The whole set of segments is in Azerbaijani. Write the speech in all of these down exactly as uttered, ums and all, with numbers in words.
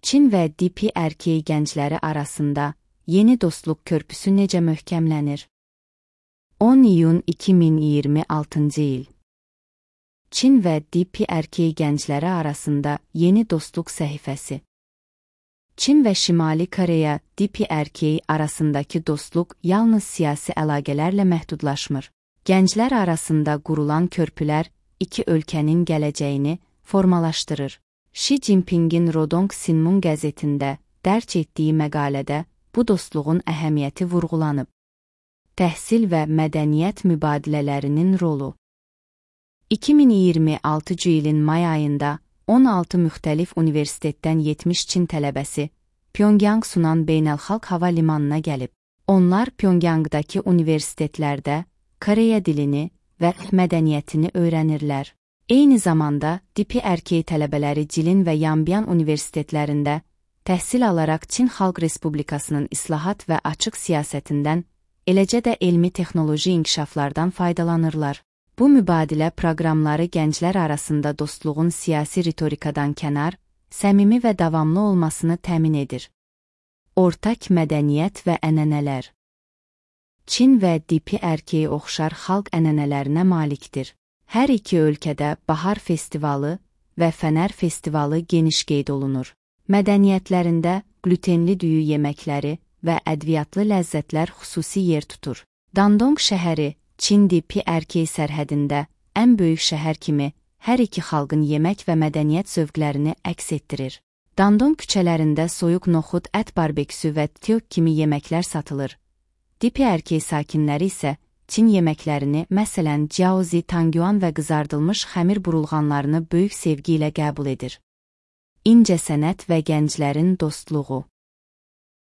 Çin və D P R K gəncləri arasında yeni dostluq körpüsü necə möhkəmlənir? on iyun iki min iyirmi altıncı il. Çin və D P R K gəncləri arasında yeni dostluq səhifəsi. Çin və Şimali Koreya D P R K arasındakı dostluq yalnız siyasi əlaqələrlə məhdudlaşmır. Gənclər arasında qurulan körpülər iki ölkənin gələcəyini formalaşdırır. Xi Jinpingin Rodong Sinmun qəzetində dərc etdiyi məqalədə bu dostluğun əhəmiyyəti vurğulanıb. Təhsil və mədəniyyət mübadilələrinin rolu. iki min iyirmi altıncı ilin may ayında on altı müxtəlif universitetdən yetmiş Çin tələbəsi Pyongyang Sunan Beynəlxalq Hava Limanına gəlib. Onlar Pyongyangdakı universitetlərdə Koreya dilini və mədəniyyətini öyrənirlər. Eyni zamanda D P R K tələbələri Jilin və Yanbian universitetlərində təhsil alaraq Çin Xalq Respublikasının islahat və açıq siyasətindən, eləcə də elmi-texnoloji inkişaflardan faydalanırlar. Bu mübadilə proqramları gənclər arasında dostluğun siyasi ritorikadan kənar, səmimi və davamlı olmasını təmin edir. Ortak mədəniyyət və ənənələr. Çin və D P R K oxşar xalq ənənələrinə malikdir. Hər iki ölkədə Bahar Festivalı və Fənər Festivalı geniş qeyd olunur. Mədəniyyətlərində glutenli düyü yeməkləri və ədviyyatlı ləzzətlər xüsusi yer tutur. Dandong şəhəri Çin D P R K sərhədində ən böyük şəhər kimi hər iki xalqın yemək və mədəniyyət zövqlərini əks etdirir. Dandong küçələrində soyuq noxud, ət barbeküsü və tteok kimi yeməklər satılır. D P R K sakinləri isə Çin yeməklərini, məsələn, jiaozi, tangyuan və qızardılmış xəmir burulğanlarını böyük sevgi ilə qəbul edir. İncəsənət və gənclərin dostluğu.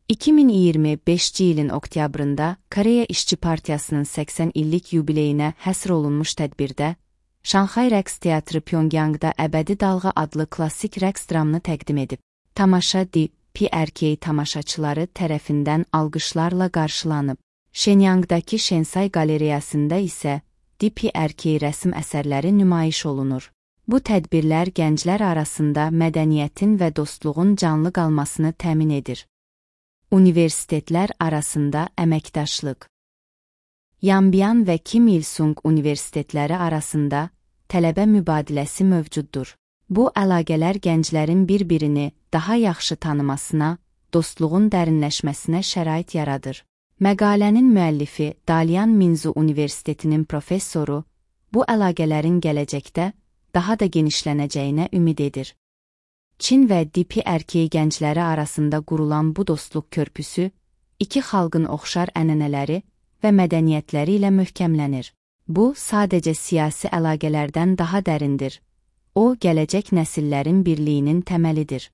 iki min iyirmi beşinci ilin oktyabrında Koreya İşçi Partiyasının səksən illik yubileyinə həsr olunmuş tədbirdə Şanxay Rəqs Teatrı Pyongyangda Əbədi Dalğa adlı klassik rəqs dramını təqdim edib. Tamaşa D P R K tamaşaçıları tərəfindən alqışlarla qarşılanıb. Shenyangdakı Shensai qalereyasında isə D P R K rəsm əsərləri nümayiş olunur. Bu tədbirlər gənclər arasında mədəniyyətin və dostluğun canlı qalmasını təmin edir. Universitetlər arasında əməkdaşlıq. Yanbian və Kim Il-sung universitetləri arasında tələbə mübadiləsi mövcuddur. Bu əlaqələr gənclərin bir-birini daha yaxşı tanımasına, dostluğun dərinləşməsinə şərait yaradır. Məqalənin müəllifi Dalian Minzu Universitetinin professoru bu əlaqələrin gələcəkdə daha da genişlənəcəyinə ümid edir. Çin və D P R K gəncləri arasında qurulan bu dostluq körpüsü iki xalqın oxşar ənənələri və mədəniyyətləri ilə möhkəmlənir. Bu, sadəcə siyasi əlaqələrdən daha dərindir. O, gələcək nəsillərin birliyinin təməlidir.